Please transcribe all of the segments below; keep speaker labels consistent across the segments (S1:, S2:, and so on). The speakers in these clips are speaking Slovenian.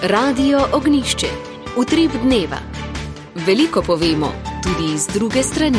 S1: Radio Ognjišče. Utrip dneva. Veliko povemo, tudi iz druge strani.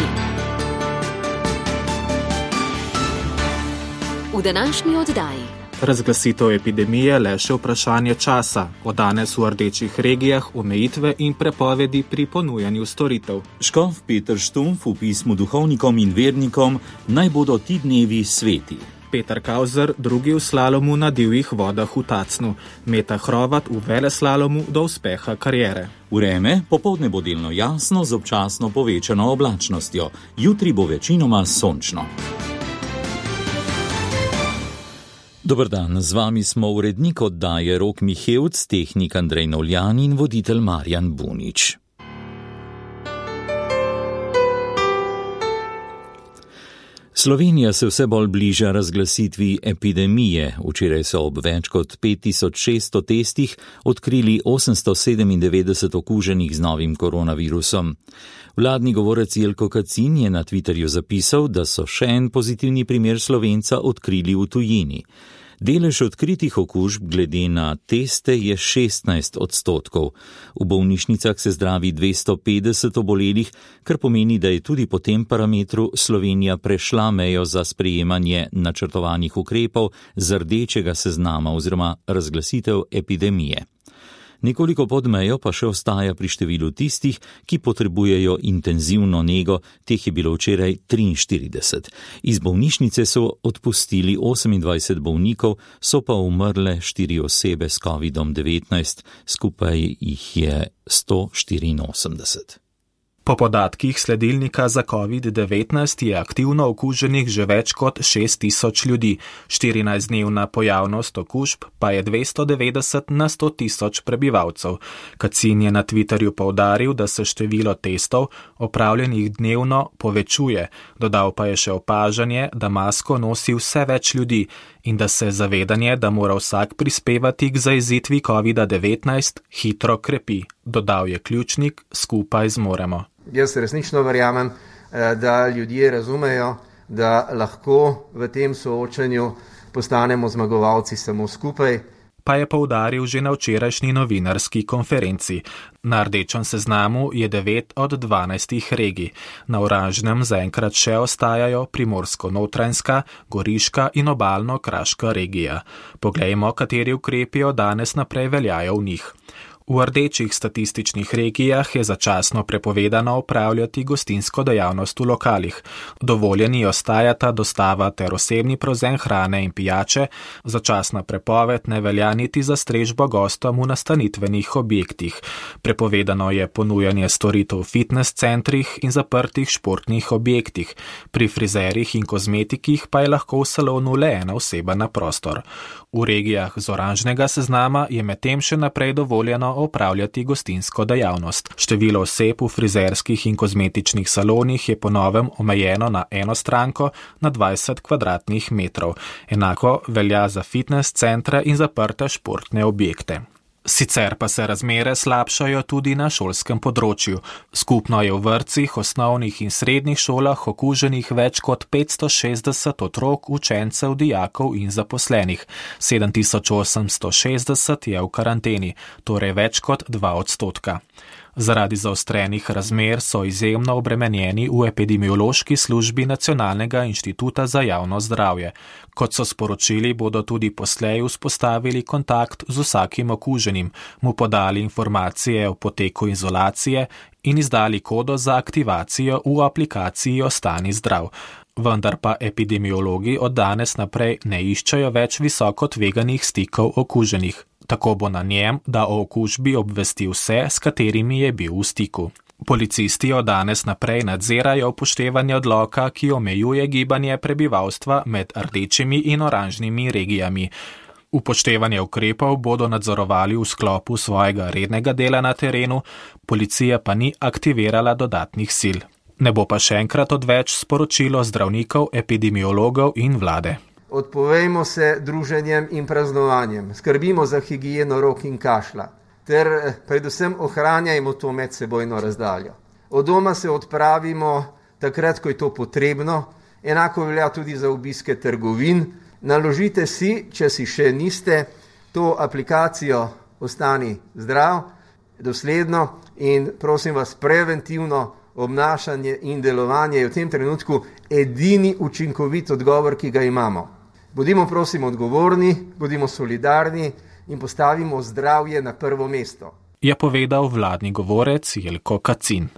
S1: V današnji oddaji.
S2: Razglasitev epidemije le še vprašanje časa. Od danes v rdečih regijah omejitve in prepovedi pri ponujanju storitev.
S3: Škof Peter Štumpf v pismu duhovnikom in vernikom naj bodo ti dnevi sveti.
S2: Peter Kauzer, drugi v slalomu na divjih vodah v Tacnu. Meta Hrovat v veleslalomu do uspeha kariere.
S3: Vreme popoldne bo delno jasno z občasno povečano oblačnostjo. Jutri bo večinoma sončno. Dober dan, z vami smo urednik oddaje Rok Mihevc, tehnik Andrej Novljan in voditelj Marjan Bunič. Slovenija se vse bolj bliža razglasitvi epidemije. Včeraj so ob več kot 5600 testih odkrili 897 okuženih z novim koronavirusom. Vladni govorec Jelko Kacin je na Twitterju zapisal, da so še en pozitivni primer Slovenca odkrili v tujini. Delež odkritih okužb glede na teste je 16%. V bolnišnicah se zdravi 250 obolelih, kar pomeni, da je tudi po tem parametru Slovenija prešla mejo za sprejemanje načrtovanih ukrepov z rdečega seznama oziroma razglasitev epidemije. Nekoliko pod mejo pa še ostaja pri številu tistih, ki potrebujejo intenzivno nego, teh je bilo včeraj 43. Iz bolnišnice so odpustili 28 bolnikov, so pa umrle 4 osebe s COVID-19, skupaj jih je 184.
S2: Po podatkih sledilnika za COVID-19 je aktivno okuženih že več kot 6000 ljudi. 14-dnevna pojavnost okužb pa je 290 na 100 000 prebivalcev. Kacin je na Twitterju poudaril, da se število testov opravljenih dnevno povečuje. Dodal pa je še opažanje, da masko nosi vse več ljudi in da se zavedanje, da mora vsak prispevati k zajezitvi COVID-19, hitro krepi. Dodal je Ključnik, skupaj zmoremo.
S4: Jaz resnično verjamem, da ljudje razumejo, da lahko v tem soočanju postanemo zmagovalci samo skupaj.
S2: Pa je poudaril že na včerajšnji novinarski konferenci. Na rdečem seznamu je 9 od 12 regij. Na oranžnem zaenkrat še ostajajo Primorsko-Notranjska, Goriška in Obalno-Kraška regija. Poglejmo, kateri ukrepi od danes naprej veljajo v njih. V rdečih statističnih regijah je začasno prepovedano opravljati gostinsko dejavnost v lokalih. Dovoljeni ostajata dostava ter osebni prevzem hrane in pijače, začasna prepoved ne velja niti za strežbo gostom v nastanitvenih objektih. Prepovedano je ponujanje storitev v fitness centrih in zaprtih športnih objektih. Pri frizerjih in kozmetikih pa je lahko v salonu le ena oseba na prostor. V regijah z oranžnega seznama je medtem še naprej dovoljeno opravljati gostinsko dejavnost. Število oseb v frizerskih in kozmetičnih salonih je po novem omejeno na eno stranko na 20 kvadratnih metrov. Enako velja za fitness centre in zaprte športne objekte. Sicer pa se razmere slabšajo tudi na šolskem področju. Skupno je v vrtcih, osnovnih in srednjih šolah okuženih več kot 560 otrok, učencev, dijakov in zaposlenih. 7860 je v karanteni, torej več kot 2%. Zaradi zaostrenih razmer so izjemno obremenjeni v epidemiološki službi Nacionalnega inštituta za javno zdravje. Kot so sporočili, bodo tudi poslej vzpostavili kontakt z vsakim okuženim, mu podali informacije o poteku izolacije in izdali kodo za aktivacijo v aplikaciji Ostani zdrav. Vendar pa epidemiologi od danes naprej ne iščejo več visoko tveganih stikov okuženih. Tako bo na njem, da o okužbi obvesti vse, s katerimi je bil v stiku. Policisti od danes naprej nadzirajo upoštevanje odloka, ki omejuje gibanje prebivalstva med rdečimi in oranžnimi regijami. Upoštevanje ukrepov bodo nadzorovali v sklopu svojega rednega dela na terenu, policija pa ni aktivirala dodatnih sil. Ne bo pa še enkrat odveč sporočilo zdravnikov, epidemiologov in vlade.
S4: Odpovejmo se druženjem in praznovanjem, skrbimo za higieno rok in kašlja, ter predvsem ohranjajmo to medsebojno razdaljo. Od doma se odpravimo takrat, ko je to potrebno, enako velja tudi za obiske trgovin. Naložite si, če si še niste, to aplikacijo ostani zdrav, dosledno in prosim vas, preventivno obnašanje in delovanje je v tem trenutku edini učinkovit odgovor, ki ga imamo. Bodimo prosim odgovorni, bodimo solidarni in postavimo zdravje na prvo mesto,
S2: je povedal vladni govorec Jelko Kacin.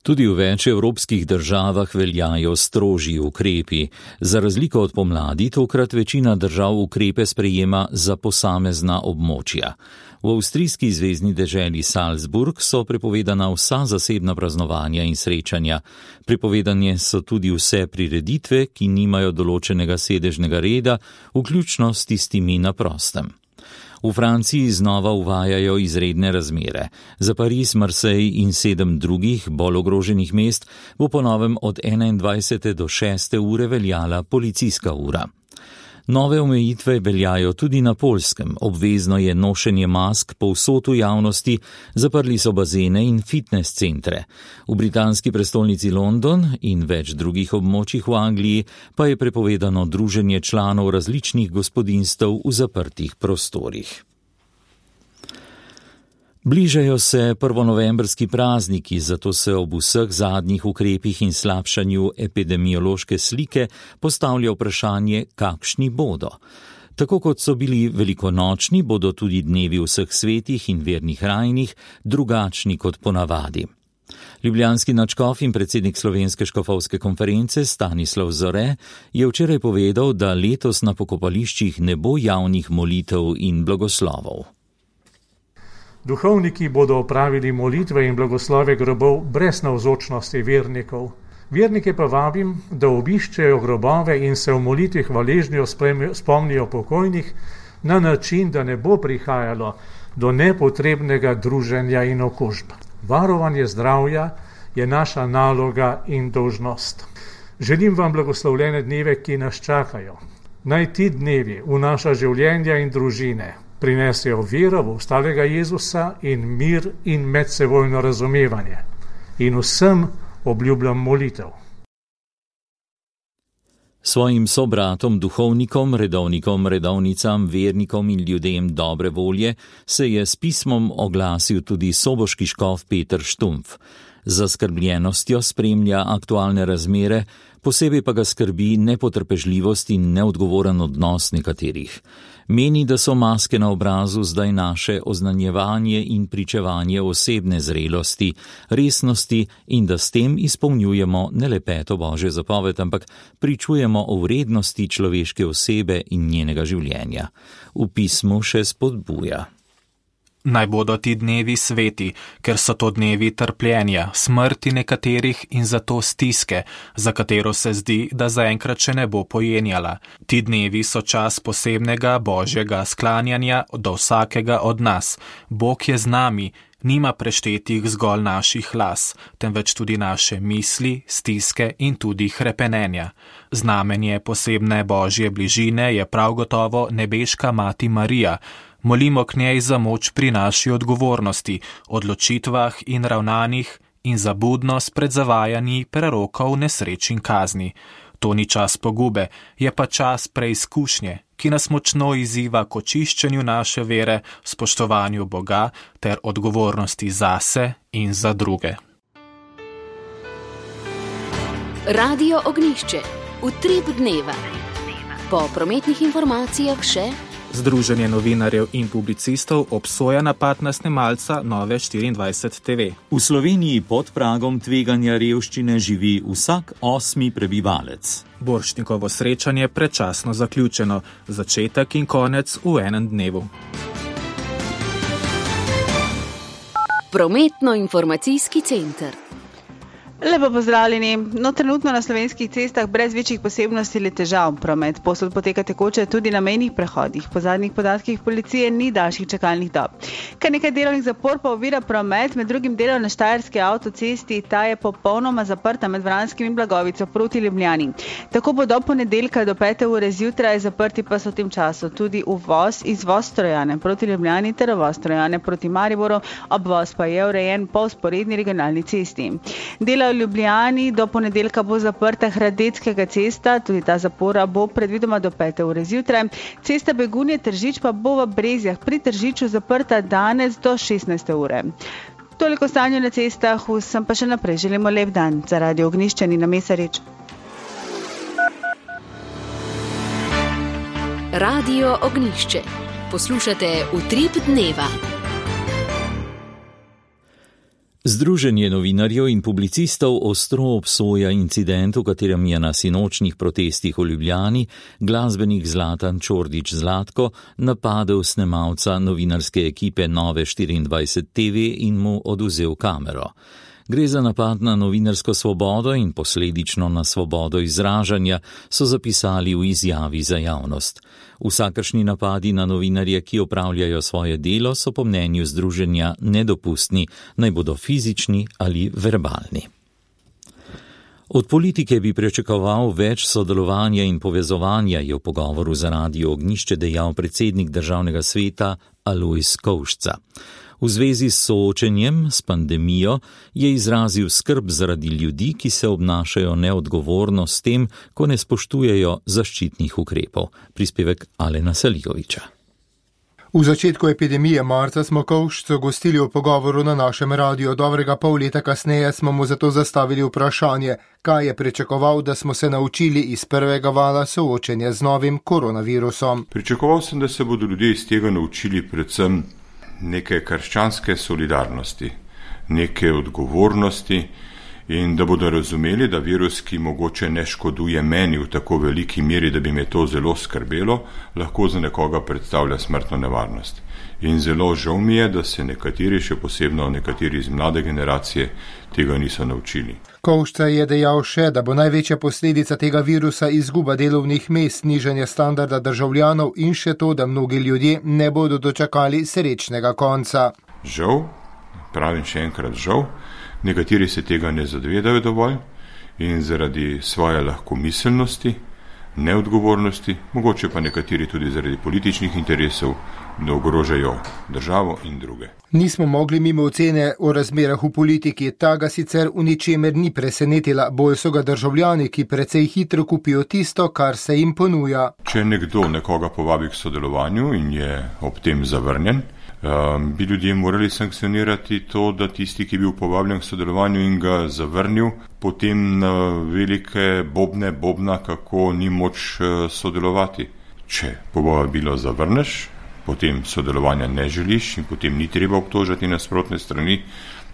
S3: Tudi v več evropskih državah veljajo strožji ukrepi. Za razliko od pomladi, tokrat večina držav ukrepe sprejema za posamezna območja. V avstrijski zvezni deželi Salzburg so prepovedana vsa zasebna praznovanja in srečanja. Prepovedane so tudi vse prireditve, ki nimajo določenega sedežnega reda, vključno s tistimi na prostem. V Franciji znova uvajajo izredne razmere. Za Pariz, Marseille in 7 drugih, bolj ogroženih mest, bo po novem od 21. do 6. ure veljala policijska ura. Nove omejitve veljajo tudi na Poljskem. Obvezno je nošenje mask povsod v javnosti, zaprli so bazene in fitness centre. V britanski prestolnici London in več drugih območjih v Angliji pa je prepovedano druženje članov različnih gospodinjstev v zaprtih prostorih. Bližajo se prvonovembrski prazniki, zato se ob vseh zadnjih ukrepih in slabšanju epidemiološke slike postavlja vprašanje, kakšni bodo. Tako kot so bili velikonočni, bodo tudi dnevi vseh svetih in vernih rajnih drugačni kot ponavadi. Ljubljanski nadškof in predsednik Slovenske škofovske konference Stanislav Zore je včeraj povedal, da letos na pokopališčih ne bo javnih molitev in blagoslovov.
S5: Duhovniki bodo opravili molitve in blagoslove grobov brez navzočnosti vernikov. Vernike pa vabim, da obiščejo grobove in se v molitvi hvaležnjo spomnijo pokojnih na način, da ne bo prihajalo do nepotrebnega druženja in okužb. Varovanje zdravja je naša naloga in dolžnost. Želim vam blagoslovljene dneve, ki nas čakajo. Naj ti dnevi v naša življenja in družine prinesejo vero v ostalega Jezusa in mir in medsebojno razumevanje. In vsem obljubljam molitev.
S3: Svojim sobratom, duhovnikom, redovnikom, redovnicam, vernikom in ljudem dobre volje se je s pismom oglasil tudi soboški škof Peter Štumpf. Z zaskrbljenostjo spremlja aktualne razmere, posebej pa ga skrbi nepotrpežljivost in neodgovoren odnos nekaterih. Meni, da so maske na obrazu zdaj naše oznanjevanje in pričevanje osebne zrelosti, resnosti in da s tem izpolnjujemo ne le 5. Božjo zapoved, ampak pričujemo o vrednosti človeške osebe in njenega življenja. V pismu še spodbuja.
S2: Naj bodo ti dnevi sveti, ker so to dnevi trpljenja, smrti nekaterih in zato stiske, za katero se zdi, da zaenkrat še ne bo pojenjala. Ti dnevi so čas posebnega božjega sklanjanja do vsakega od nas. Bog je z nami, nima preštetih zgolj naših las, temveč tudi naše misli, stiske in tudi hrepenenja. Znamenje posebne božje bližine je prav gotovo nebeška mati Marija. Molimo k njej za moč pri naši odgovornosti, odločitvah in ravnanjih in za budnost pred zavajanji prerokov nesreč in kazni. To ni čas pogube, je pa čas preizkušnje, ki nas močno izziva k očiščenju naše vere, spoštovanju Boga ter odgovornosti zase in za druge.
S1: Radio Ognjišče. Utrip dneva. Po prometnih informacijah še
S2: Združenje novinarjev in publicistov obsoja napad na snemalca Nove24 TV.
S3: V Sloveniji pod pragom tveganja revščine živi vsak 8. prebivalec.
S2: Borštnikovo srečanje predčasno zaključeno, začetek in konec v enem dnevu.
S1: Prometno-informacijski center.
S6: Lepo pozdravljeni. Trenutno na slovenskih cestah brez večjih posebnosti ali težav. Promet posod poteka tekoče tudi na mejnih prehodih. Po zadnjih podatkih policije ni daljših čakalnih dob. Kar nekaj delovnih zapor pa ovira promet, med drugim delo na Štajerski avtocesti, ta je popolnoma zaprta med Vranskim in Blagovico proti Ljubljani. Tako bo do ponedeljka do 5. ure zjutraj, zaprti pa so v tem času tudi izvoz Trojane proti Ljubljani ter uvoz Trojane proti Mariboru, obvoz pa je urejen po vzporedni regionalni cesti. Delajo Ljubljani. Do ponedeljka bo zaprta Hradeckega cesta, tudi ta zapora bo predvidoma do 5. ure zjutraj. Cesta Begunje-Tržič pa bo v Brezjah pri Tržiču zaprta danes do 16. ure. Toliko stanje na cestah, vsem pa še naprej želimo lep dan. Za Radio Ognjišče Nina Mesarič.
S1: Radio Ognjišče. Poslušate Utrip dneva.
S3: Združenje novinarjev in publicistov ostro obsoja incident, v katerem je na sinočnjih protestih v Ljubljani glasbenik Zlatan Čordić Zlatko napadel snemalca novinarske ekipe Nove 24 TV in mu odvzel kamero. Gre za napad na novinarsko svobodo in posledično na svobodo izražanja, so zapisali v izjavi za javnost. Vsakršni napadi na novinarje, ki opravljajo svoje delo, so po mnenju združenja nedopustni, naj bodo fizični ali verbalni. Od politike bi pričakoval več sodelovanja in povezovanja, je v pogovoru za Radio Ognjišče dejal predsednik Državnega sveta Alojz Kovšca. V zvezi s soočenjem s pandemijo je izrazil skrb zaradi ljudi, ki se obnašajo neodgovorno s tem, ko ne spoštujejo zaščitnih ukrepov. Prispevek Alena Saligoviča.
S7: V začetku epidemije marca smo Kovšco gostili v pogovoru na našem radiju. Dobrega pol leta kasneje smo mu zato zastavili vprašanje, kaj je pričakoval, da smo se naučili iz prvega vala soočenja z novim koronavirusom.
S8: Pričakoval sem, da se bodo ljudje iz tega naučili predvsem neke krščanske solidarnosti, neke odgovornosti in da bodo razumeli, da virus, ki mogoče ne škoduje meni v tako veliki meri, da bi me to zelo skrbelo, lahko za nekoga predstavlja smrtno nevarnost. In zelo žal mi je, da se nekateri, še posebno nekateri iz mlade generacije, tega niso naučili.
S7: Kovšca je dejal še, da bo največja posledica tega virusa izguba delovnih mest, nižanje standarda državljanov in še to, da mnogi ljudje ne bodo dočakali srečnega konca.
S8: Žal, pravim še enkrat žal, nekateri se tega ne zavedajo dovolj in zaradi svoje lahkomiselnosti, neodgovornosti, mogoče pa nekateri tudi zaradi političnih interesov, da ogrožajo državo in druge.
S7: Nismo mogli mimo ocene o razmerah v politiki, ta ga sicer v ničemer ni presenetila, bolj so ga državljani, ki precej hitro kupijo tisto, kar se jim ponuja.
S8: Če nekdo nekoga povabi k sodelovanju in je ob tem zavrnjen, bi ljudje morali sankcionirati to, da tisti, ki je bil povabljen k sodelovanju in ga zavrnil, potem na velike bobna, kako ni moč sodelovati. Če povabilo zavrneš, potem sodelovanja ne želiš in potem ni treba obtožati nasprotne strani,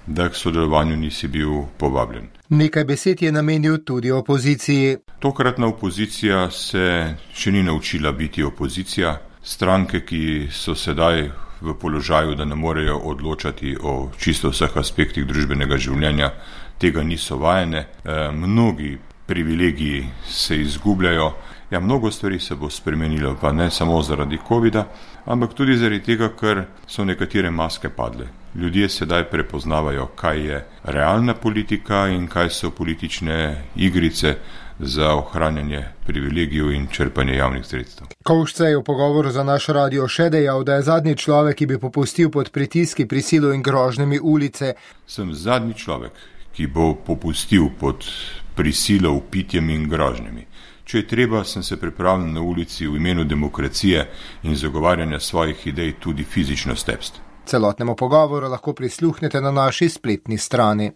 S8: da k sodelovanju nisi bil povabljen.
S7: Nekaj besed je namenil tudi opoziciji.
S8: Tokratna opozicija se še ni naučila biti opozicija. Stranke, ki so sedaj v položaju, da ne morejo odločati o čisto vseh aspektih družbenega življenja, tega niso vajene. Mnogi privilegiji se izgubljajo. Ja, mnogo stvari se bo spremenilo, pa ne samo zaradi covida, ampak tudi zaradi tega, ker so nekatere maske padle. Ljudje sedaj prepoznavajo, kaj je realna politika in kaj so politične igrice za ohranjanje privilegijev in črpanje javnih sredstev.
S7: Kovšca je v pogovoru za naš radio še dejal, da je zadnji človek, ki bi popustil pod pritiski, prisilo in grožnjami ulice.
S8: Sem zadnji človek, ki bo popustil pod prisilo, vpitjem in grožnjami. Če je treba, sem se pripravljen na ulici v imenu demokracije in zagovarjanja svojih idej tudi fizično stepst.
S7: Celotnemu pogovoru lahko prisluhnete na naši spletni strani.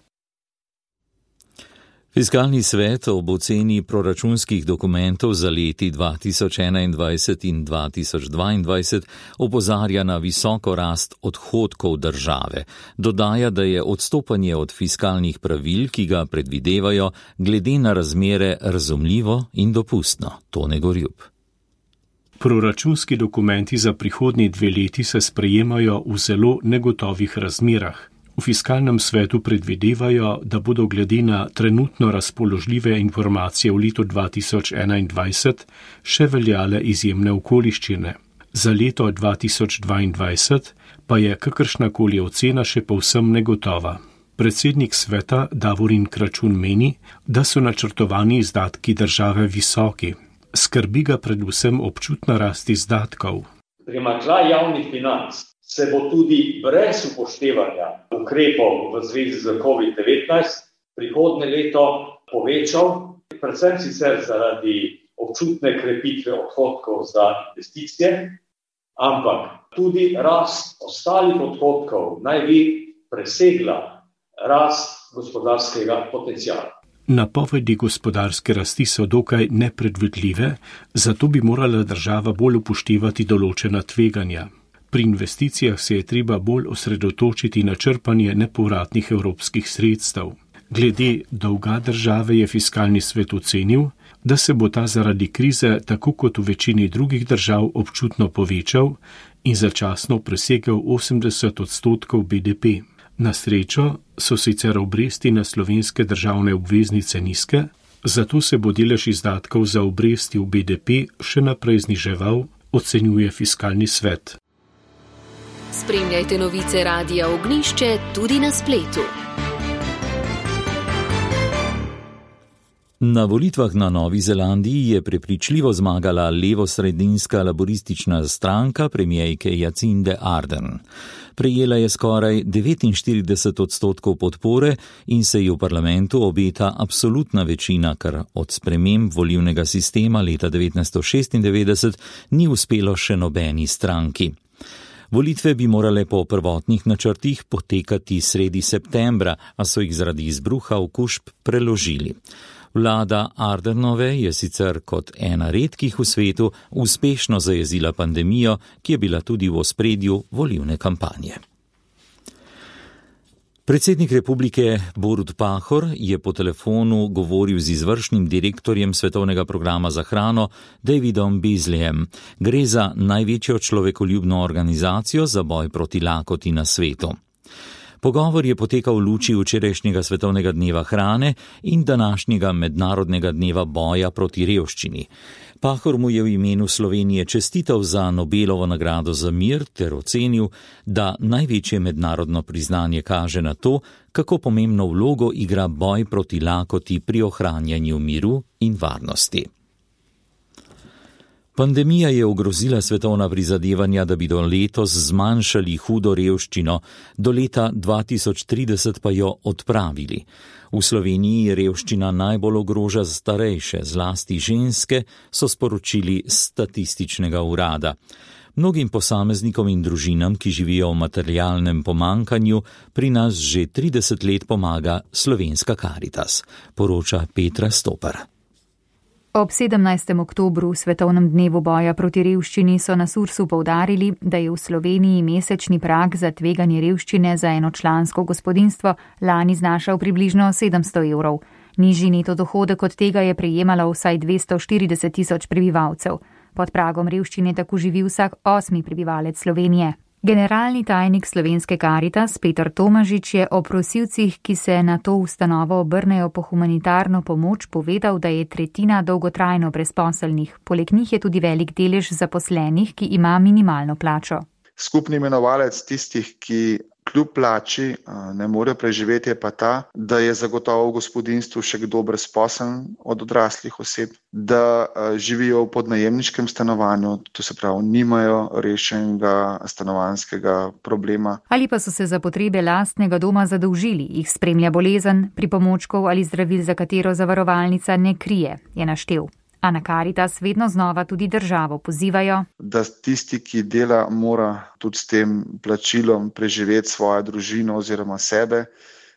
S3: Fiskalni svet ob oceni proračunskih dokumentov za leti 2021 in 2022 opozarja na visoko rast odhodkov države. Dodaja, da je odstopanje od fiskalnih pravil, ki ga predvidevajo, glede na razmere razumljivo in dopustno. Tone Gorjub.
S9: Proračunski dokumenti za prihodnji 2 leti se sprejemajo v zelo negotovih razmerah. V fiskalnem svetu predvidevajo, da bodo glede na trenutno razpoložljive informacije v letu 2021 še veljale izjemne okoliščine. Za leto 2022 pa je kakršnakoli ocena še povsem negotova. Predsednik sveta Davorin Kračun meni, da so načrtovani izdatki države visoki. Skrbi ga predvsem občutna rast izdatkov.
S10: Primanjkljaj javnih financ se bo tudi brez upoštevanja ukrepov v zvezi z COVID-19 prihodnje leto povečal, predvsem sicer zaradi občutne krepitve odhodkov za investicije, ampak tudi rast ostalih odhodkov naj bi presegla rast gospodarskega potenciala.
S9: Napovedi gospodarske rasti so dokaj nepredvidljive, zato bi morala država bolj upoštevati določena tveganja. Pri investicijah se je treba bolj osredotočiti na črpanje nepovratnih evropskih sredstev. Glede dolga države je fiskalni svet ocenil, da se bo ta zaradi krize, tako kot v večini drugih držav, občutno povečal in začasno presegel 80% BDP. Na srečo so sicer obresti na slovenske državne obveznice nizke, zato se bo delež izdatkov za obresti v BDP še naprej zniževal, ocenjuje fiskalni svet.
S1: Spremljajte novice Radia Ognjišče tudi na spletu.
S3: Na volitvah na Novi Zelandiji je prepričljivo zmagala levosredinska laboristična stranka premijejke Jacinde Ardern. Prejela je skoraj 49% podpore in se ji v parlamentu obeta absolutna večina, kar od sprememb volilnega sistema leta 1996 ni uspelo še nobeni stranki. Volitve bi morale po prvotnih načrtih potekati sredi septembra, a so jih zaradi izbruha okužb preložili. Vlada Ardernove je sicer kot ena redkih v svetu uspešno zajezila pandemijo, ki je bila tudi v ospredju volilne kampanje. Predsednik republike Borut Pahor je po telefonu govoril z izvršnim direktorjem Svetovnega programa za hrano Davidom Beasleyem. Gre za največjo človekoljubno organizacijo za boj proti lakoti na svetu. Pogovor je potekal v luči včerajšnjega Svetovnega dneva hrane in današnjega mednarodnega dneva boja proti revščini. Pahor mu je v imenu Slovenije čestital za Nobelovo nagrado za mir ter ocenil, da največje mednarodno priznanje kaže na to, kako pomembno vlogo igra boj proti lakoti pri ohranjanju miru in varnosti. Pandemija je ogrozila svetovna prizadevanja, da bi do letos zmanjšali hudo revščino, do leta 2030 pa jo odpravili. V Sloveniji revščina najbolj ogroža starejše, zlasti ženske, so sporočili s statističnega urada. Mnogim posameznikom in družinam, ki živijo v materialnem pomankanju, pri nas že 30 let pomaga Slovenska Karitas, poroča Petra Stopar.
S11: Ob 17. oktobru, svetovnem dnevu boja proti revščini, so na Sursu poudarili, da je v Sloveniji mesečni prag za tveganje revščine za enočlansko gospodinjstvo lani znašal približno 700 evrov. Nižji neto dohodek od tega je prejemalo vsaj 240 tisoč prebivalcev. Pod pragom revščine tako živi vsak 8. prebivalec Slovenije. Generalni tajnik Slovenske Karitas Peter Tomažič je o prosilcih, ki se na to ustanovo obrnejo po humanitarno pomoč, povedal, da je tretjina dolgotrajno brezposelnih. Poleg njih je tudi velik delež zaposlenih, ki ima minimalno plačo.
S12: Skupni imenovalec tistih, ki kljub plači ne morejo preživeti, je pa ta, da je zagotovo v gospodinjstvu še kdo brezposeln od odraslih oseb, da živijo v podnajemniškem stanovanju, to se pravi, nimajo rešenega stanovanjskega problema.
S11: Ali pa so se za potrebe lastnega doma zadolžili, jih spremlja bolezen, pripomočkov ali zdravil, za katero zavarovalnica ne krije, je naštel. A na Karitas vedno znova tudi državo pozivajo,
S12: da tisti, ki dela, mora tudi s tem plačilom preživeti svojo družino oziroma sebe.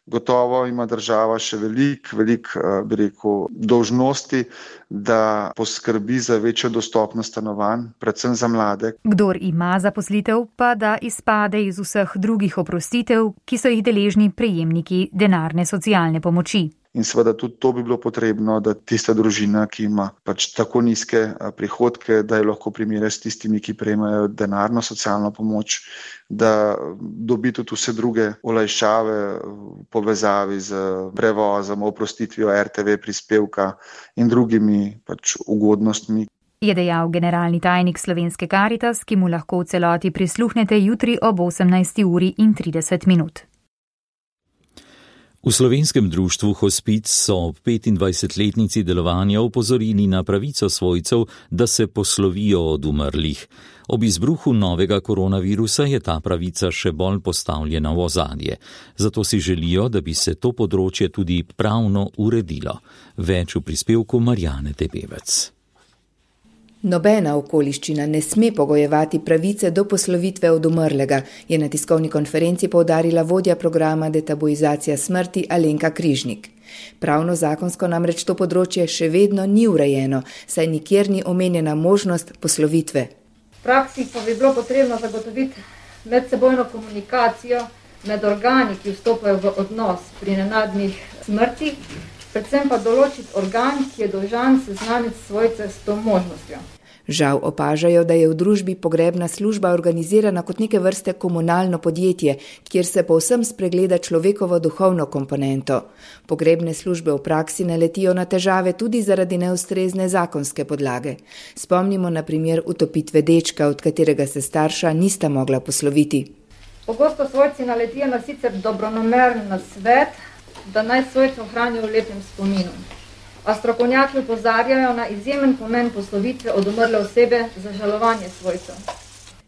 S12: Gotovo ima država še veliko dolžnosti, da poskrbi za večjo dostopnost stanovanj, predvsem za mlade.
S11: Kdor ima zaposlitev, pa da izpade iz vseh drugih oprostitev, ki so jih deležni prejemniki denarne socialne pomoči.
S12: In seveda tudi to bi bilo potrebno, da tista družina, ki ima tako nizke prihodke, da je lahko primerja s tistimi, ki prejemajo denarno socialno pomoč, da dobi tudi vse druge olajšave v povezavi z prevozom, oprostitvijo RTV prispevka in drugimi ugodnostmi.
S11: Je dejal generalni tajnik Slovenske Karitas, ki mu lahko v celoti prisluhnete jutri ob 18:30.
S3: V Slovenskem društvu Hospic so ob 25-letnici delovanja opozorili na pravico svojcev, da se poslovijo od umrlih. Ob izbruhu novega koronavirusa je ta pravica še bolj postavljena v ozadje. Zato si želijo, da bi se to področje tudi pravno uredilo. Več v prispevku Marjane Tepevec.
S13: Nobena okoliščina ne sme pogojevati pravice do poslovitve od umrlega, je na tiskovni konferenci poudarila vodja programa Detabuizacija smrti Alenka Križnik. Pravno zakonsko namreč to področje še vedno ni urejeno, saj nikjer ni omenjena možnost poslovitve.
S14: V praksi pa bi bilo potrebno zagotoviti medsebojno komunikacijo med organi, ki vstopajo v odnos pri nenadnih smrtih, predvsem pa določiti organ, ki je dolžan seznaniti svojce s to možnostjo.
S13: Žal opažajo, da je v družbi pogrebna služba organizirana kot neke vrste komunalno podjetje, kjer se povsem spregleda človekovo duhovno komponento. Pogrebne službe v praksi naletijo na težave tudi zaradi neustrezne zakonske podlage. Spomnimo na primer utopitve dečka, od katerega se starša nista mogla posloviti.
S14: Pogosto svojci naletijo na sicer dobronameren nasvet, da naj svojce ohranijo v lepem spominu. A strokovnjaki opozarjajo na izjemen pomen poslovitve od umrle osebe za žalovanje svojcev.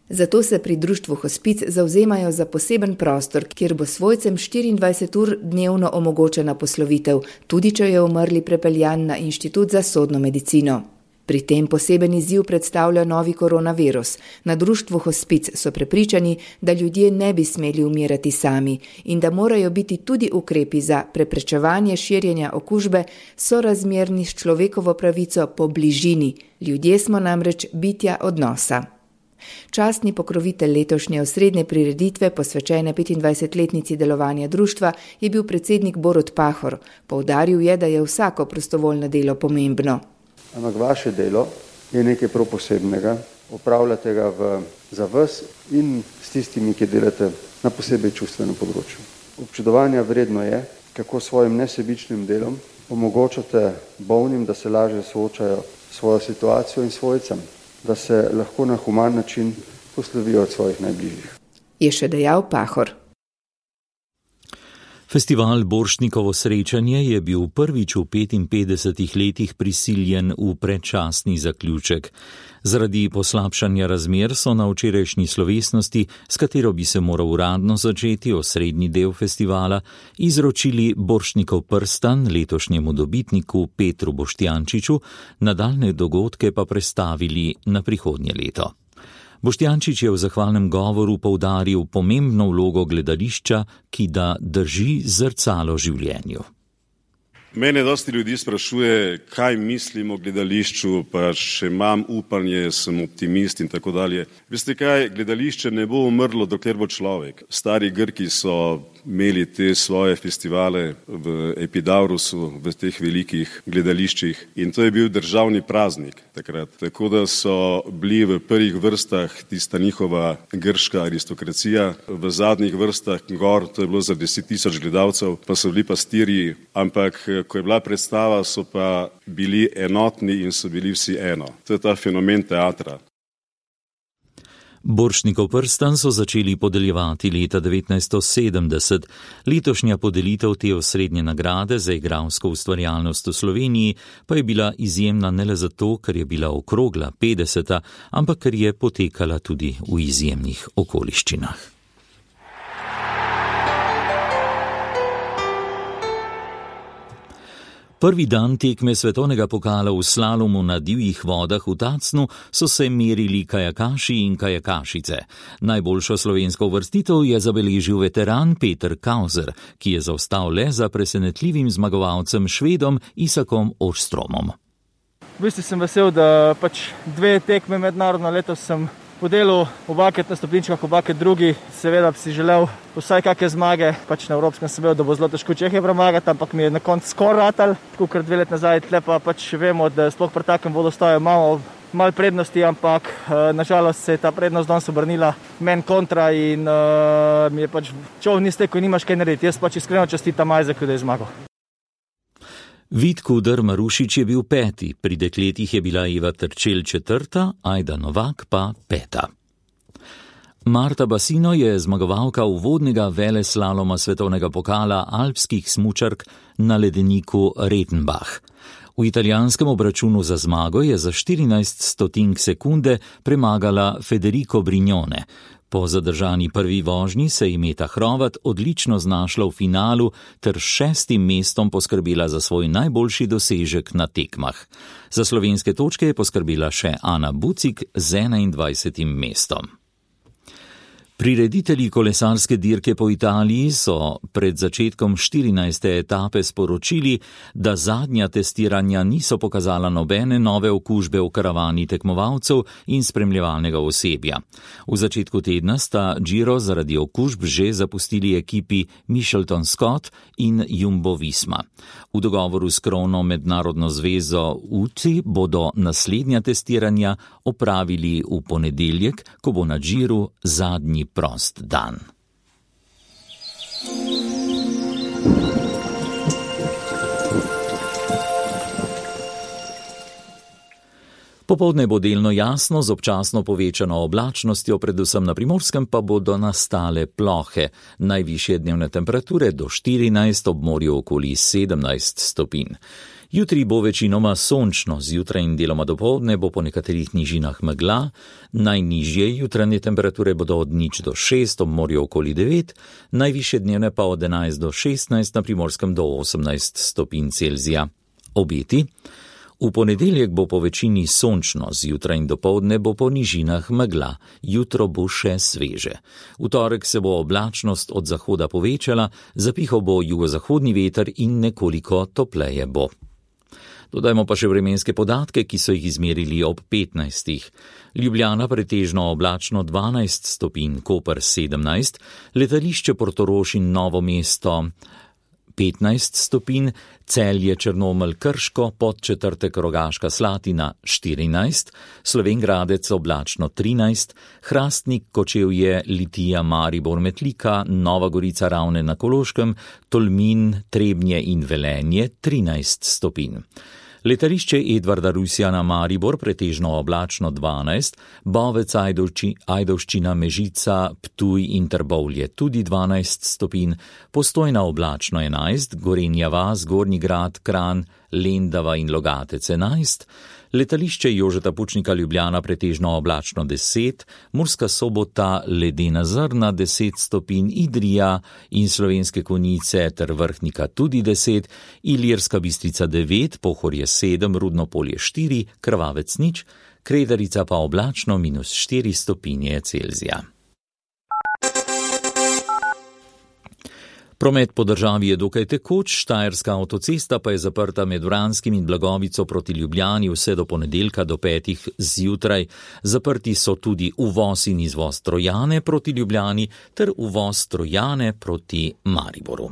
S13: Zato se pri društvu Hospic zavzemajo za poseben prostor, kjer bo svojcem 24 ur dnevno omogočena poslovitev, tudi če je umrli prepeljan na Inštitut za sodno medicino. Pri tem poseben izziv predstavlja novi koronavirus. Na društvu Hospic so prepričani, da ljudje ne bi smeli umirati sami in da morajo biti tudi ukrepi za preprečevanje širjenja okužbe sorazmerni s človekovo pravico po bližini. Ljudje smo namreč bitja odnosa. Častni pokrovitelj letošnje osrednje prireditve, posvečene 25-letnici delovanja društva, je bil predsednik Borut Pahor. Poudaril je, da je vsako prostovoljno delo pomembno.
S15: Ampak vaše delo je nekaj prav posebnega, opravljate ga za vas in s tistimi, ki delate na posebej čustvenem področju. Občudovanja vredno je, kako svojim nesebičnim delom omogočate bolnim, da se lažje soočajo s svojo situacijo in svojcem, da se lahko na human način poslovijo od svojih najbližjih.
S13: Je še dejal Pahor.
S3: Festival Borštnikovo srečanje je bil prvič v 55 letih prisiljen v predčasni zaključek. Zaradi poslabšanja razmer so na včerajšnji slovesnosti, s katero bi se moral uradno začeti osrednji del festivala, izročili Borštnikov prstan letošnjemu dobitniku Petru Boštjančiču, nadaljne dogodke pa prestavili na prihodnje leto. Boštjančič je v zahvalnem govoru poudaril pomembno vlogo gledališča, ki da drži zrcalo življenju.
S16: Mene dosti ljudi sprašuje, kaj mislim o gledališču, pa še imam upanje, sem optimist in tako dalje. Veste kaj, gledališče ne bo umrlo, dokler bo človek. Stari Grki so imeli te svoje festivale v Epidaurusu, v teh velikih gledališčih in to je bil državni praznik takrat. Tako da so bili v prvih vrstah tista njihova grška aristokracija, v zadnjih vrstah gor, to je bilo za 10.000 gledalcev, pa so bili pastirji, ampak ko je bila predstava, so pa bili enotni in so bili vsi eno. To je ta fenomen teatra.
S3: Borštnikov prstan so začeli podeljevati leta 1970. Letošnja podelitev te osrednje nagrade za igralsko ustvarjalnost v Sloveniji pa je bila izjemna ne le zato, ker je bila okrogla 50., ampak ker je potekala tudi v izjemnih okoliščinah. Prvi dan tekme svetovnega pokala v slalomu na divjih vodah v Tacnu so se merili kajakaši in kajakašice. Najboljšo slovensko uvrstitev je zabeležil veteran Peter Kauser, ki je zaostal le za presenetljivim zmagovalcem Švedom Isakom Åströmom.
S17: V bistvu sem vesel, da dve tekme mednarodno letos sem podelil, obakrat na stopničkah, obakrat drugi. Seveda bi si želel vsaj kakšne zmage, na evropskem sem vedel, da bo zelo težko Čehe premagati, ampak mi je na koncu skoraj ratal, tako kot 2 leti nazaj, tle pa vemo, da sploh pri takem vodostaju malo prednosti, ampak nažalost se je ta prednost danes obrnila meni kontra in mi je čov ni stekel in nimaš kaj narediti. Jaz iskreno čestitam Majzeku, da je zmagal.
S3: Vid Kuder Marušič je bil 5., pri dekletih je bila Eva Trčelj 4., Ajda Novak pa 5. Marta Basino je zmagovalka uvodnega veleslaloma svetovnega pokala alpskih smučark na ledeniku Retenbach. V italijanskem obračunu za zmago je za 14 sekunde premagala Federico Brignone. Po zadržani prvi vožnji se je Meta Hrovat odlično znašla v finalu ter 6. mestom poskrbela za svoj najboljši dosežek na tekmah. Za slovenske točke je poskrbela še Ana Bucik z 21. mestom. Prireditelji kolesarske dirke po Italiji so pred začetkom 14. etape sporočili, da zadnja testiranja niso pokazala nobene nove okužbe v karavani tekmovalcev in spremljevalnega osebja. V začetku tedna sta Giro zaradi okužb že zapustili ekipi Mitchelton Scott in Jumbo Visma. V dogovoru s krovno mednarodno zvezo UCI bodo naslednja testiranja opravili v ponedeljek, ko bo na Giru zadnji prost dan. Popoldne bo delno jasno z občasno povečano oblačnostjo, predvsem na Primorskem pa bodo nastale plohe. Najvišje dnevne temperature do 14, ob morju okoli 17 stopinj. Jutri bo večinoma sončno, zjutraj in deloma dopoldne bo po nekaterih nižinah megla, najnižje jutranje temperature bodo od 0 do 6, ob morju okoli 9, najvišje dnevne pa od 11 do 16, na Primorskem do 18 stopinj Celzija. Obeti. V ponedeljek bo po večini sončno, zjutraj in dopoldne bo po nižinah megla, jutro bo še sveže. V torek se bo oblačnost od zahoda povečala, zapihal bo jugozahodni veter in nekoliko topleje bo. Dodajmo pa še vremenske podatke, ki so jih izmerili ob 15. Ljubljana pretežno oblačno 12 stopinj, Koper 17, letališče Portorož in Novo mesto 15 stopinj, Celje, Črnomelj, Krško, Podčetrtek, Rogaška Slatina 14, Slovenj Gradec oblačno 13, Hrastnik, Kočevje, Litija, Maribor, Metlika, Nova Gorica, Ravne na Koroškem, Tolmin, Trebnje in Velenje 13 stopinj. Letališče Edvarda Rusjana Maribor pretežno oblačno 12, Bovec, Ajdovščina, Mežica, Ptuj in Trbovlje tudi 12 stopinj, Postojna oblačno 11, Gorenja vas, Gornji Grad, Kranj, Lendava in Logatec 11, letališče Jožeta Pučnika Ljubljana pretežno oblačno 10, Murska Sobota, ledena zrna 10 stopinj, Idrija in Slovenske Konjice ter Vrhnika tudi 10, Ilirska Bistrica 9, Pohorje 7, Rudno Polje 4, Krvavec 0, Kredarica pa oblačno -4 stopinje Celzija. Promet po državi je dokaj tekoč, Štajerska avtocesta pa je zaprta med Vranskim in Blagovico proti Ljubljani vse do ponedeljka do 5. zjutraj. Zaprti so tudi uvoz in izvoz Trojane proti Ljubljani ter uvoz Trojane proti Mariboru.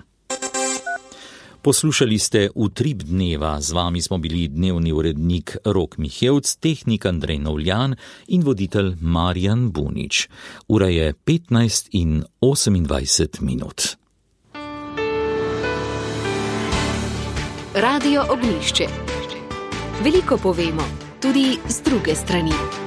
S3: Poslušali ste Utrip dneva, z vami smo bili dnevni urednik Rok Mihevc, tehnik Andrej Novljan in voditelj Marjan Bunič. Ura je 15:28.
S1: Radio Ognjišče. Veliko povemo, tudi z druge strani.